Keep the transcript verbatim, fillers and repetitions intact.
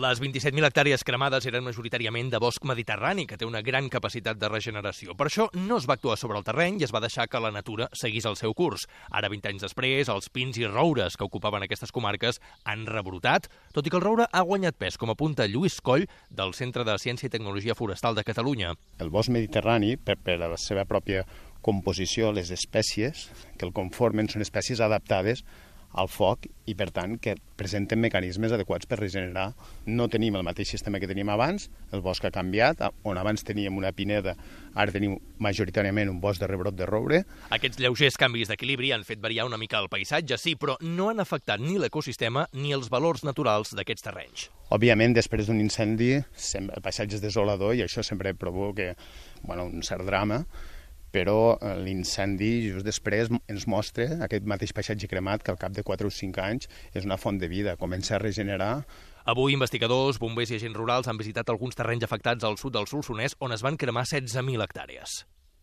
Les vint-i-set mil hectàrees cremades eren majoritàriament de bosc mediterrani, que té una gran capacitat de regeneració. Per això no es va actuar sobre el terreny i es va deixar que la natura seguís el seu curs. Ara, vint anys després, els pins i roures que ocupaven aquestes comarques han rebrotat, tot i que el roure ha guanyat pes, com apunta Lluís Coll, del Centre de Ciència i Tecnologia Forestal de Catalunya. El bosc mediterrani, per, per la seva pròpia composició, les espècies que el conformen són espècies adaptades al foc i, per tant, que presenten mecanismes adequats per regenerar. No tenim el mateix sistema que teníem abans, el bosc ha canviat, on abans teníem una pineda, ara tenim majoritàriament un bosc de rebrot de roure. Aquests lleugers canvis d'equilibri han fet variar una mica el paisatge, sí, però no han afectat ni l'ecosistema ni els valors naturals d'aquests terrenys. Òbviament, després d'un incendi, el paisatge és desolador i això sempre provoca bueno, un cert drama, però l'incendi just després ens mostra aquest mateix paisatge cremat que al cap de quatre o cinc anys és una font de vida, comença a regenerar. Avui, investigadors, bombers i agents rurals han visitat alguns terrenys afectats al sud del Solsonès on es van cremar setze mil hectàrees.